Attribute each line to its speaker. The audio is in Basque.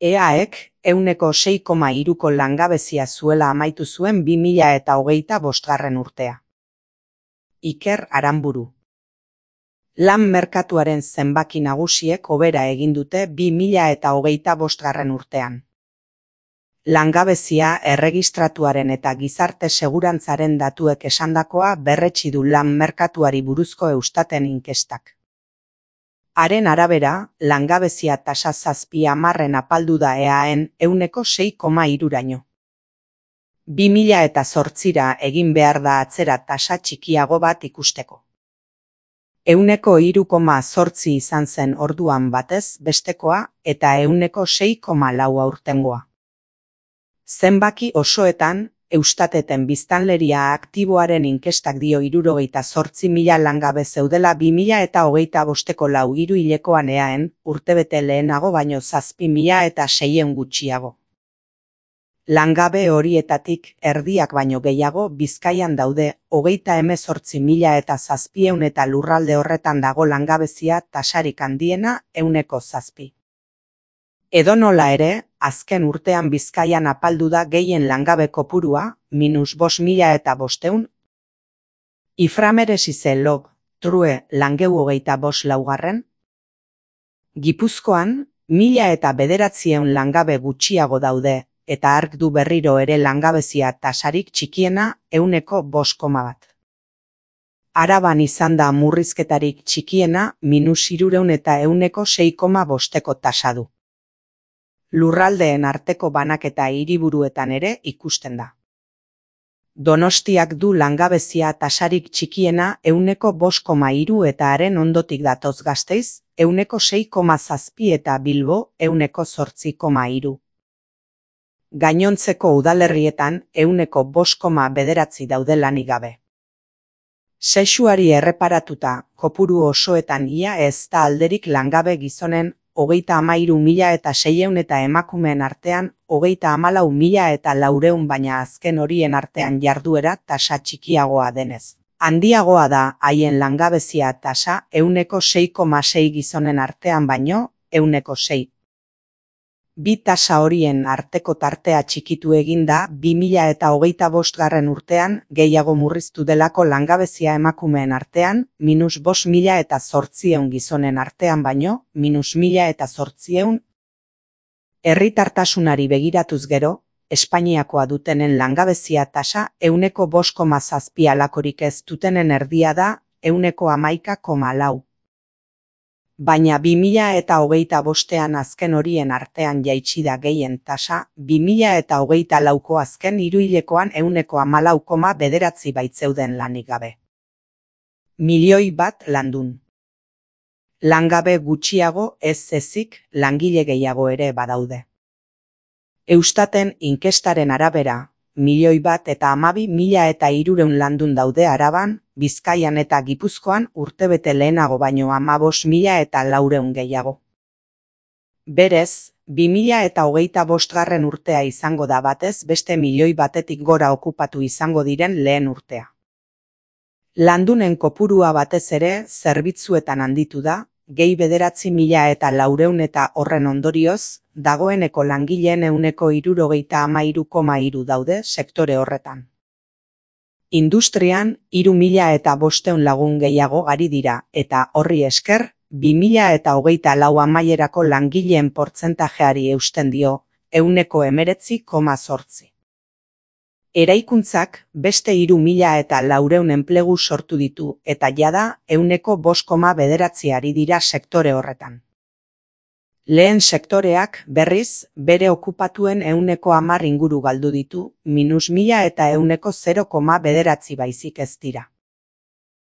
Speaker 1: EAek 6,3ko langabezia zuela amaitu zuen 2025 urtea. Iker Aranburu. Lan merkatuaren zenbaki nagusiek hobera egin dute 2025 urtean. Langabezia erregistratuaren eta gizarte segurantzaren datuek esandakoa berretsi du lan merkatuari buruzko Eustaten inkestak. Haren arabera, langabezia tasa 7/10 apaldu da EAen 6,3raino. 2008ra egin behar da atzera tasa txikiago bat ikusteko. 3,8 izan zen orduan batez bestekoa eta 6,4 aurtengoa. Zenbaki osoetan, Eustateten biztanleria aktiboaren inkestak dio 78.000 langabe zeudela 2025ko 4 hilekoan EAen, urtebete lehenago baino 7.600 gutxiago. Langabe horietatik erdiak baino gehiago Bizkaian daude, 38.700 eta lurralde horretan dago langabezia tasarik handiena 7%. Edonola ere, azken urtean Bizkaian apaldu da gehien langabe kopurua, -5.500. Iframeresize lob, true langeu 25 Gipuzkoan, 1.900 langabe gutxiago daude, eta ark du berriro ere langabezia tasarik txikiena 5,1. Araban izan da murrizketarik txikiena -300 eta 6,5ko tasa du. Lurraldeen arteko banaketa hiriburuetan ere ikusten da. Donostiak du langabezia tasarik txikiena 5,3 eta haren ondotik datoz Gasteiz, 6,7 eta Bilbo 8,3. Gainontzeko udalerrietan 5,9 daude lanik gabe. Sexuari erreparatuta, kopuru osoetan ia ez da alderik langabe gizonen 33.600 eta emakumeen artean 34.400 baina azken horien artean jarduera tasa txikiagoa denez. Handiagoa da haien langabezia tasa 6,6 gizonen artean baino 6. Bi tasa horien arteko tartea txikitu egin da 2025 urtean gehiago murriztu delako langabezia emakumeen artean, -5.800 gizonen artean baino, -1.800. Herritartasunari begiratuz gero, Espainiakoa dutenen langabezia tasa 5,7 alakorik ez dutenen erdia da 11,4. Baina 2025an azken horien artean jaitsi da gehien tasa, 2024ko azken hiruhilekoan 14,9 baitzeuden lanik gabe. 1.000.000 landun. Langabe gutxiago ez ezik, langile gehiago ere badaude. Eustaten inkestaren arabera, 1.000.000 eta 12.300 landun daude Araban, Bizkaian eta Gipuzkoan urtebete lehenago baino 15.400 gehiago. Berez, 2025 urtea izango da batez beste 1.000.000 gora okupatu izango diren lehen urtea. Landunen kopurua batez ere zerbitzuetan handitu da, gehi 9.400 eta horren ondorioz, dagoeneko langileen 73,3 daude sektore horretan. Industrian 3.500 lagun gehiago ari dira eta horri esker 2024 amaierako langileen portzentajeari eusten dio 19,8. Eraikuntzak beste 3.400 enplegu sortu ditu eta jada 5,9 ari dira sektore horretan. Lehen sektoreak, berriz, bere okupatuen 10% inguru galdu ditu, -1.000 eta 0,9 baizik ez dira.